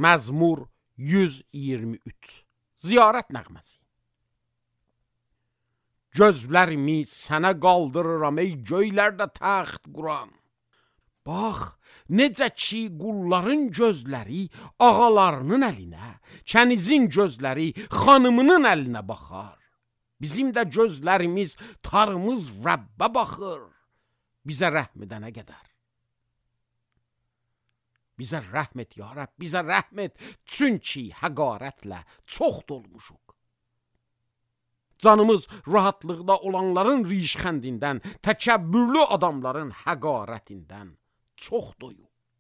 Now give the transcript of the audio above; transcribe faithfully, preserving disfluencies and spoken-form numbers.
Məzmur yüz iyirmi üç. Ziyarət nəğməsi. Gözlərimi sənə qaldırıram ey göylərdə təxt quran. Bax, necə ki qulların gözləri ağalarının əlinə, kənizin gözləri xanımının əlinə baxar. Bizim də gözlərimiz, tarımız Rəbbə baxır. Bizə rəhm edənə qədər. Bizə rəhm et ya Rəbb, bizə rəhm et, çünki həqarətlə çox dolmuşuq. Canımız rahatlıqda olanların rişxəndindən, təkəbbürlü adamların həqarətindən çox doyuq.